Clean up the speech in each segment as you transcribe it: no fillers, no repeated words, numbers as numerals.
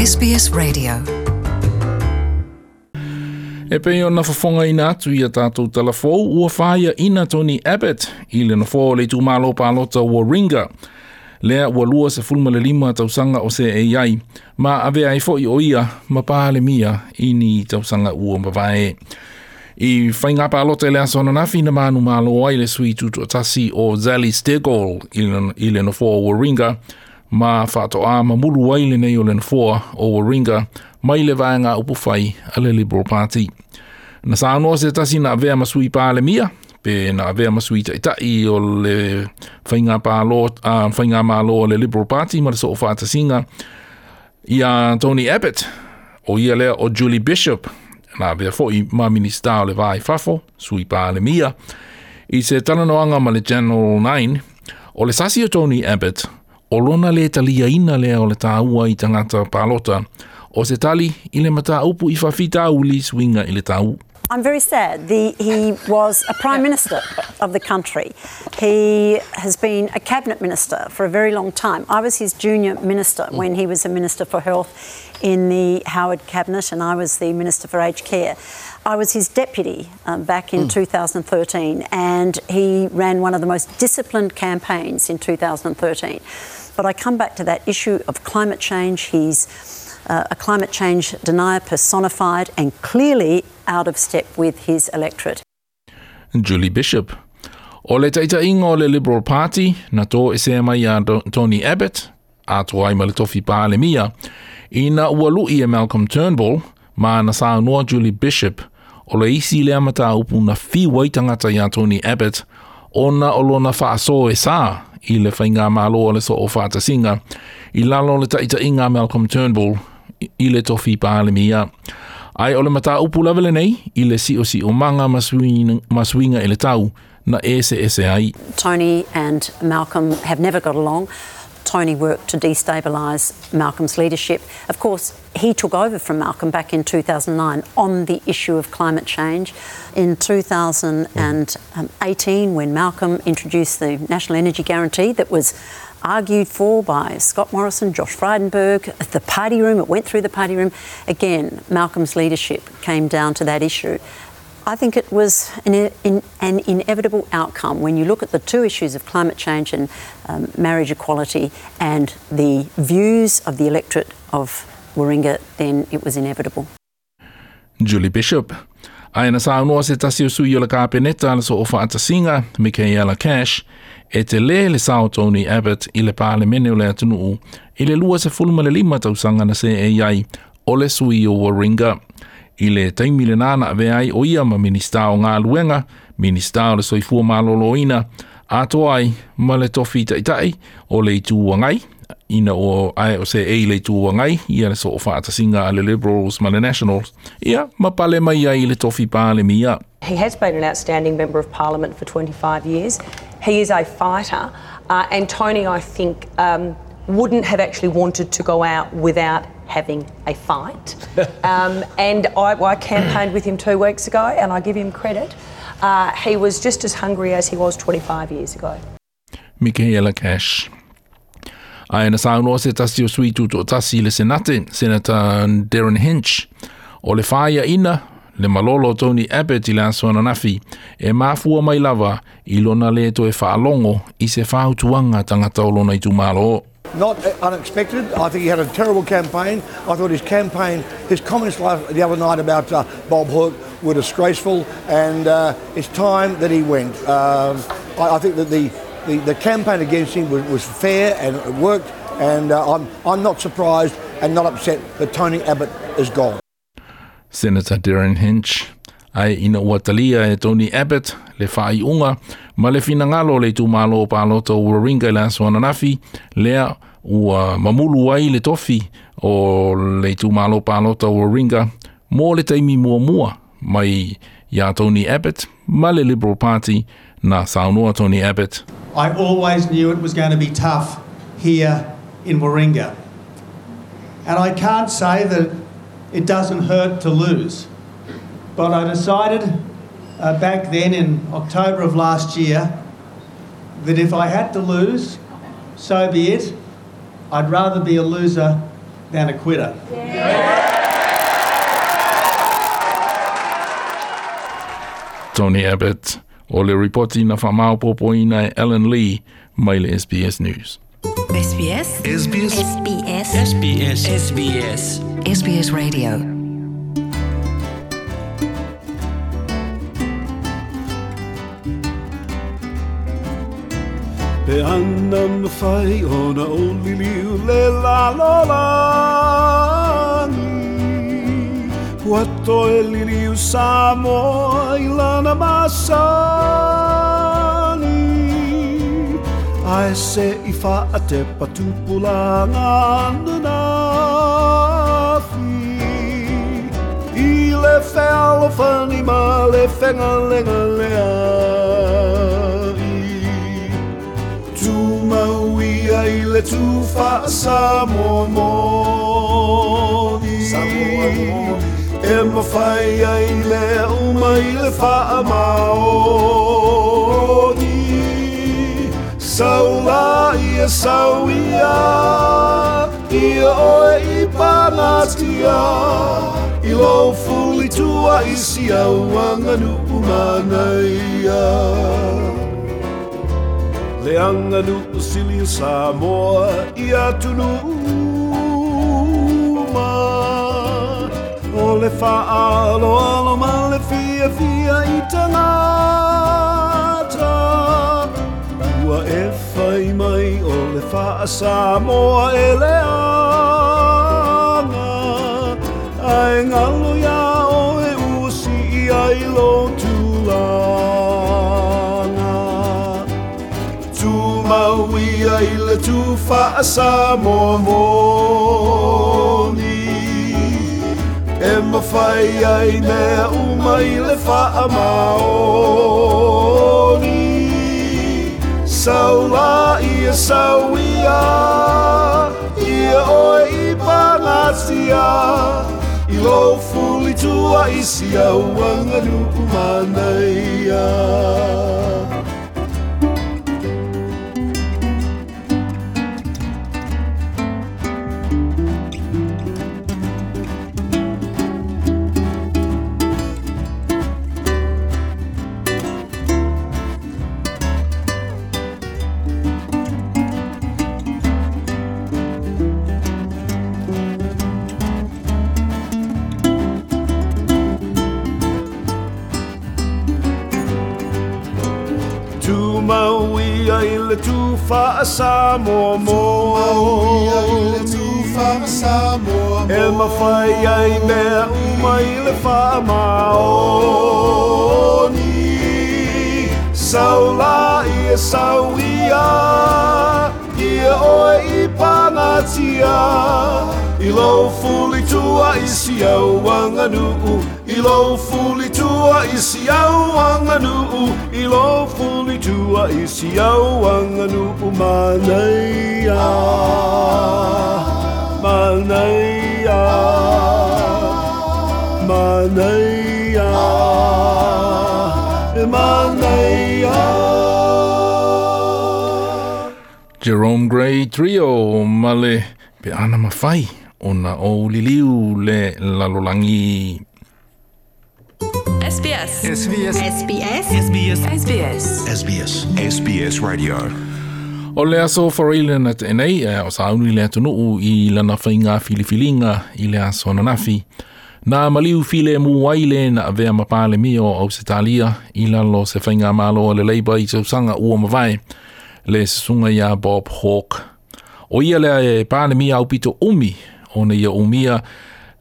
SBS Radio. E pei ona fofogaina atu i a tātou talafou, ua faiaina Tony Abbott i le nofoa o le itumalo palota Warringah. Lea ua 25 tausaga o seei ai, ma avea ai foi o ia ma Palemia i ni tausaga ua mavae. I faiga palota i le aso ananafi na manumalo ai le sui tutoatasi o Zali Steggall i le nofoa o Warringah, ma faatoa mamulu ai lenei o le nofoa o Warringah mai le vaega upufai a le Liberal Party. Na saunoa se tasi na avea ma sui Palemia, pe na avea ma sui taitai o le faiga palo, faiga malo o le Liberal Party ma le Soofaatasiga ia Tony Abbott, o ia lea o Julie Bishop, na avea foi ma Minista o le Va i Fafo, sui Palemia, i se talanoaga ma le Channel 9, o le sasi o Tony Abbott, o lona le taliaina lea o le taua i tagata palota, o se tali i le mataupu i faafitauli suiga i le tau. I'm very sad. He was a Prime Minister of the country. He has been a Cabinet Minister for a very long time. I was his junior minister when he was a Minister for Health in the Howard Cabinet, and I was the Minister for Aged Care. I was his deputy back in 2013, and he ran one of the most disciplined campaigns in 2013. But I come back to that issue of climate change. He's a climate change denier personified and clearly out of step with his electorate. Julie Bishop. O le taitaiga o le Liberal Party na toesea mai iā Tony Abbott, atoa ai ma le tofi Palemia, ina ua lu'i e Malcolm Turnbull, ma na saunoa Julie Bishop, o le isi lea mataupu na fiu ai tagata iā Tony Abbott, ona o lona faasoa e sā i le faigamalo a le Soofaatasiga i lalo o le taitaiga a Malcolm Turnbull i le tofi Palemia. Ae o le mataupu lava lenei i le siosiomaga ma suiga i le tau na eseese ai. Tony and Malcolm have never got along. Tony worked to destabilise Malcolm's leadership. Of course, he took over from Malcolm back in 2009 on the issue of climate change. In 2018, when Malcolm introduced the National Energy Guarantee that was argued for by Scott Morrison, Josh Frydenberg, the party room, it went through the party room. Again, Malcolm's leadership came down to that issue. I think it was an inevitable outcome when you look at the two issues of climate change and marriage equality and the views of the electorate of Warringah, then it was inevitable. Julie Bishop. Ae na saunoa se tasi o sui o le Kapeneta a le Soofaatasiga, Michaela Cash, e telē le sao o Tony Abbott i le Palemene o le atunuu i le 25 tausaga na seei ai o le sui o Warringah. I le taimi lenā na avea ai o ia ma Minista o Galuega, Minista o le Soifua Maloloina, atoa ai ma le tofi taitai o le Itu Agai, ina ua ae o seei le Itu Agai ia le Soofaatasiga a le Liberals ma le Nationals, ia ma pale mai ai i le tofi Palemia. He has been an outstanding Member of Parliament for 25 years. He is a fighter, and Tony, I think, wouldn't have actually wanted to go out without having a fight. And I campaigned with him 2 weeks ago, and I give him credit. He was just as hungry as he was 25 years ago. Michaela Cash. Ae na saunoa se tasi o sui tutoatasi i le Senate, Senator Derryn Hinch, o le faiaina le malolo o Tony Abbott i le aso ananafi, e mafua mai lava i lona le toe faalogo i se fautuaga a tagata o lona itumalo. Not unexpected. I think he had a terrible campaign. I thought his campaign, his comments the other night about Bob Hawke were disgraceful, and it's time that he went. I think that the campaign against him was fair and it worked, and I'm not surprised and not upset that Tony Abbott is gone. Senator Derryn Hinch. Ae ina ua talia e Tony Abbott le faaiuga ma le finagalo o le itumalo o palota o Warringah i le aso ananafi, lea ua mamulu ai le tofi o le itumalo palota o Warringah mo le taimi muamua mai iā Tony Abbott ma le Liberal Party na saunoa Tony Abbott. I always knew it was going to be tough here in Warringah. And I can't say that it doesn't hurt to lose. But I decided back then in October of last year that if I had to lose, so be it. I'd rather be a loser than a quitter. Tony Abbott, o le ripoti na whamaopopoina e Ellen Lee mai le SBS News. SBS SBS SBS SBS SBS SBS Radio. Pe ana mawhai ona o liliu le la la langi. Ua toe liliu Samoa i lana masani. Ae se i wha te patupulanga nanafi. I le whealofani ma le whengalenga lea i. Tūmauia i le tūwha Samoa moni. Samoa moni. E mawhai ai le uma i le wha maoni. Saula ia sau ia, ia oe i panatia. I lo fuli tua i si au anganu umanaia. Le anganu usili Samoa i atunu uma. O le whaalo alo ma le fia fia i tangata. Ua e whai mai o le whaa Samoa e le anga. Ai ngalo ia o e usi i ai lo tūlanga. Tūmauia i le tūwhaa Samoa moni. E mawhai ai mea uma i le whaa maoni. Saula ia sau ia, ia oe i panatia. I lo fuli tua i si au anganu umanaia. Tūmauia i le tūwha Samoa moni. E mawhai ai mea uma i le wha maoni. Saula ia sau ia, ia oe i panatia. I lo fuli tua i si au anganuu. I lo fuli tua i si au anganuu. I lo fuli tua i si au anganuu. Manaia, manaia, manaia, manaia. Jerome Gray Trio ma le pe ana mawhai ona o liliu le lalolangi. SBS SBS SBS SBS SBS SBS SBS Radio. O le aso whareile na te nei, o sauni le atunuu i lana whainga filifilinga i le aso nanafi. Nā maliu file mu waile na avea mapale mio o Ausitalia i lalo se whainga malo le Labour i tausanga ua mawai le susunga ia Bob Hawke. O ia lea e pāle mia au pito umi, o ne ia umia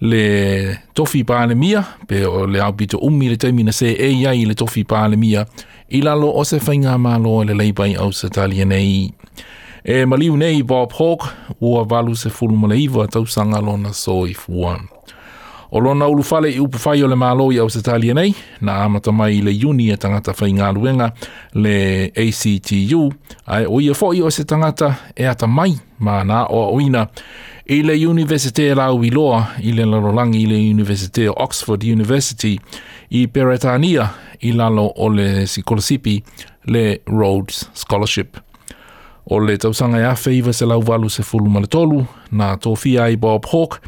le tofi pāle mia, pe o le au pito umi le taimi na se e iai le tofi pāle mia, i lalo o se whainga malo le Labour i Ausitalia nei. E maliu nei Bob Hawke, ua 89 tausanga lona soifua. O lona ulufale i upufai o le malo i Ausitalia nei, na amata mai le iuni e tangata whaingaluenga le ACTU, ai o ia foi o se tangata e ata mai ma nā o oina i le Universite lau i loa i le lalolangi i le Universite o Oxford University i Peretania i lalo o le sikolasipi le Rhodes Scholarship. O le tausaga e 1983 na tofia ai Bob Hawke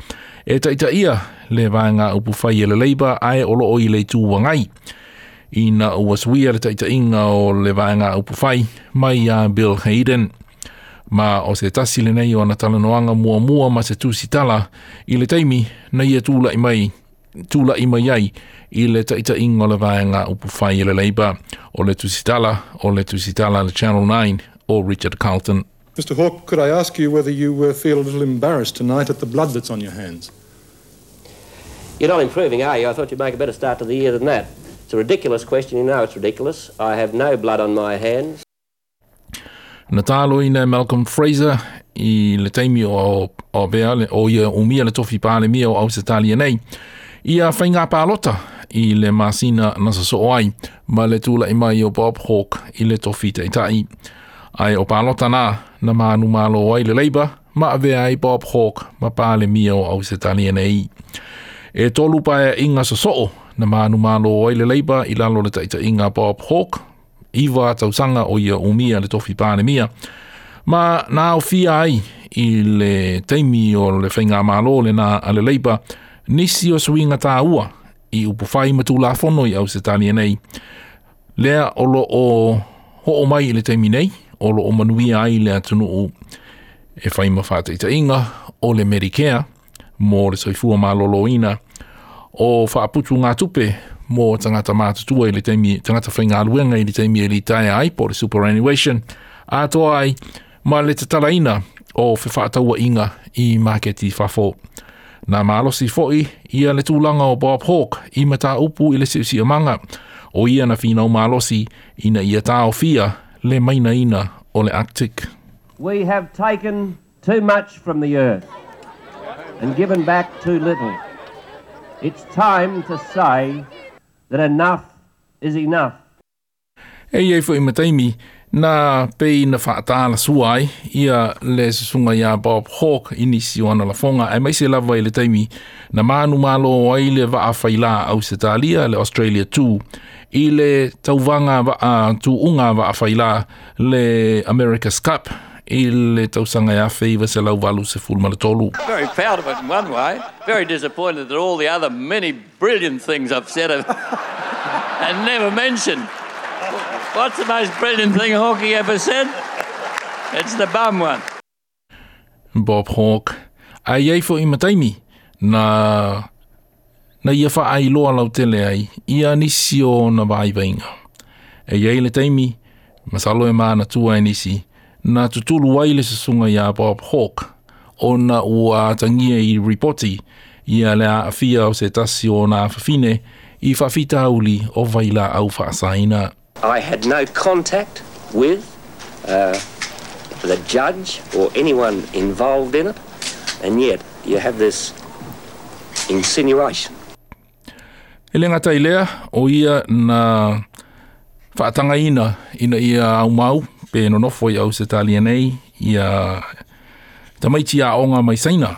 e taitaia le vaega upufai a le Labour ae o loo i le Itu Agai ina ua suia le taitaiga o le vaega upufai mai ia Bill Hayden. Ma o se tasi lenei o ana talanoaga muamua ma se tusitala i le taimi na ia tulai mai tula'i mai ai i le taitaiga o le vaega upufai a le Labour. O le tusitala o le tusitala a le Channel 9 o Richard Carlton. Mr Hawke, could I ask you whether you feel a little embarrassed tonight at the blood that's on your hands? You're not improving, are you? I thought you'd make a better start to the year than that. It's a ridiculous question. You know it's ridiculous. I have no blood on my hands. Na taloina e Malcolm Fraser i le taimi o avea o ia umia le tofi Palemia o Ausetalia nei ia faiga palota i le masina na sosoo ai ma le tula'i mai o Bob Hawke i le tofi ta'ita'i. Ae o palota na na manumalo ai le Labour ma avea ai Bob Hawke ma Palemia o Ausetalia nei. E tolu paeaiga sosoo na manumalo ai le Labour i lalo o le taita'iga a Bob Hawke, 9 tausaga o ia umia le tofi Palemia, ma na aofia ai i le taimi o le faigamalo lena a le Labour nisi o suiga tāua i upufai ma Tulafono i Ausetalia nei. Lea o lo o ho'o mai i le taimi nei, o lo o manuia ai le atunuu e fai ma faataitaiga o le Medicare mo le soifua maloloina, o faaputugatupe mo tagata matutua i le taimi, tagata faigaluega i le taimi e litaea ai, po o le superannuation, atoa ai ma le tatalaina o fefaatauaiga i maketi i fafo. Na malosi fo'i ia le tulaga o Bob Hawke i mataupu i le si'osi'omaga, o ia na finau malosi ina ia taofia le mainaina o le Arctic. We have taken too much from the earth and given back too little. It's time to say that enough is enough. E i ai fo'i ma taimi na pei na fa'atalasua ai ia le susuga iā Bob Hawke i nisi o ana lafoga, aemaise lava i le taimi na manumalo ai le vaa failā Ausetalia, le Australia 2, i le tauvaga vaa tuuga vaa failā le America's Cup i le tausaga e 1983. Very proud of it in one way, very disappointed that all the other many brilliant things I've said have and never mentioned. What's the most brilliant thing Hawkey ever said? It's the bum one. Bob Hawke, Ae i ai fo'i ma taimi na na ia fa'ailoa lautele ai ia nisi o ona vaivaiga. E i ai le taimi, masalo e manatua e nisi, na tutulu ai le susuga iā Bob Hawke ona ua atagia i ripoti ia le aafia o se tasi o ona afafine i faafitauli o vailaau faasaina. I had no contact with uh, the judge or anyone involved in it, and yet you have this insinuation. E le gata i lea, o ia na faatagaina ina ia aumau pe nonofo i Ausetalia nei ia tamaiti aoga mai Saina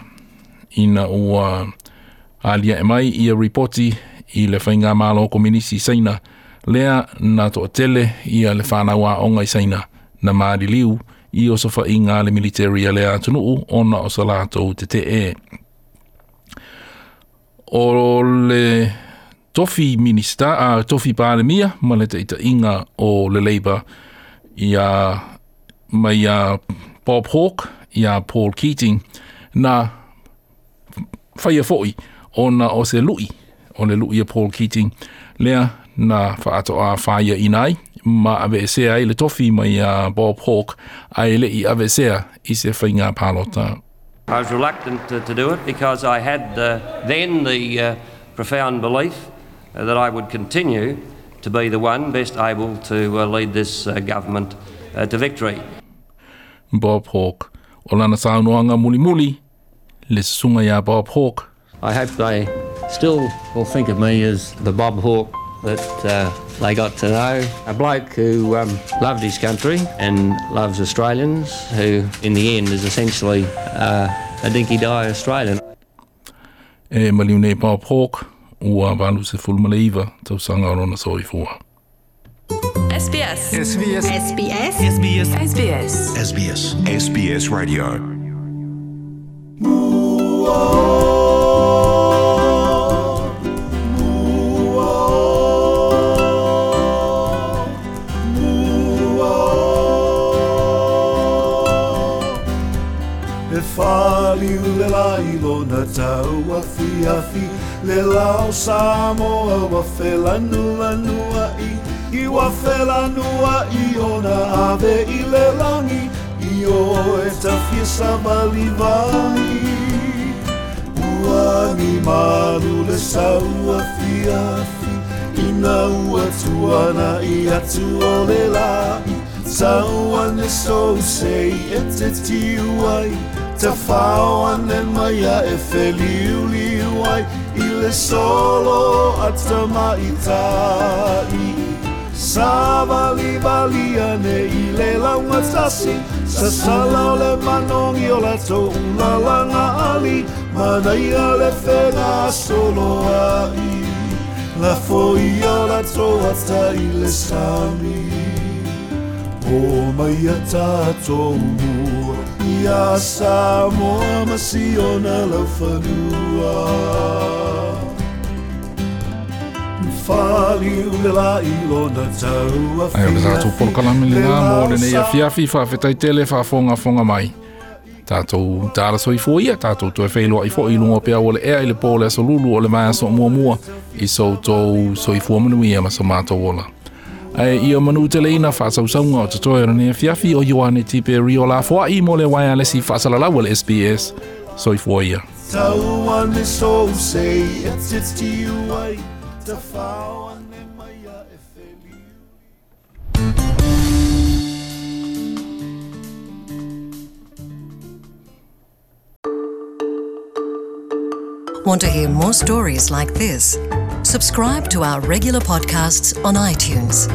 ina ua alia'e mai ia ripoti i le Faigamalo Kominisi i Saina lea na toatele ia le fanau aoga i Saina na maliliu i osofaiga a le militeri a lea atunuu ona o sa latou tetee. O le tofi Minista, a tofi Palemia ma le taitaiga o le Labour ia mai ia Bob Hawke ia Paul Keating na faia fo'i ona o se lu'i o le lu'i a Paul Keating lea na fa'ato'a fāia'ina ai ma aveesea ai le tofi mai iā Bob Hawke ae le i aveesea i se faiga palota. I was reluctant to, to do it because I had uh, then the uh, profound belief uh, that I would continue to be the one best able to uh, lead this uh, government uh, to victory. Bob Hawke. O lana saunoaga mulimuli, le susuga iā Bob Hawke. I hope they still will think of me as the Bob Hawke that uh, they got to know. A bloke who um, loved his country and loves Australians, who in the end is essentially uh, a dinky-die Australian. E maliu nei Bob Hawke, ua 89 tausaga o lona soifua. SBS. SBS. SBS. SBS. SBS. SBS. SBS Radio. E faliu le lai lona tau afiafi Le lao Samoa ua felanuanua'i I ua felanua'i ona ave i le lagi I o e tafia savalivali Ua agi malu le sau afiafi Ina ua tuana'i atu o le la'i Tau ane sou sei e te tiu ai Tafao ane mai a e feliuliu ai I le solo a tamaitai Savalivali ane i le laugatasi Sasala o le manogi o latou ulalaga ali Manaia le fegasoloai Lafoia o latou ata i le sami O mai a tatou mua Ia Samoa ma si ona laufanua Faliu le lai lona tau Ai o le tatou afiafi polokalame Le lena mo lao lenei sa afiafi faafetai tele faafogafoga mai. Tatou tala soifua ia, tatou toe feiloai foi i luga o peau o le ea i le pō o le aso lulu o le vaiaso muamua i so outou soifua manuia ma so matou ola. Ae ia manu teleina faasausauga o totoe o lenei afiafi o Ioane Tiperio lafoai mo le waialesi faasalalau a le SBS. Soifua ia. Tau ane sou sei e te tiu ai Tafao ane mai a e feliu Want to hear more stories like this? Subscribe to our regular podcasts on iTunes.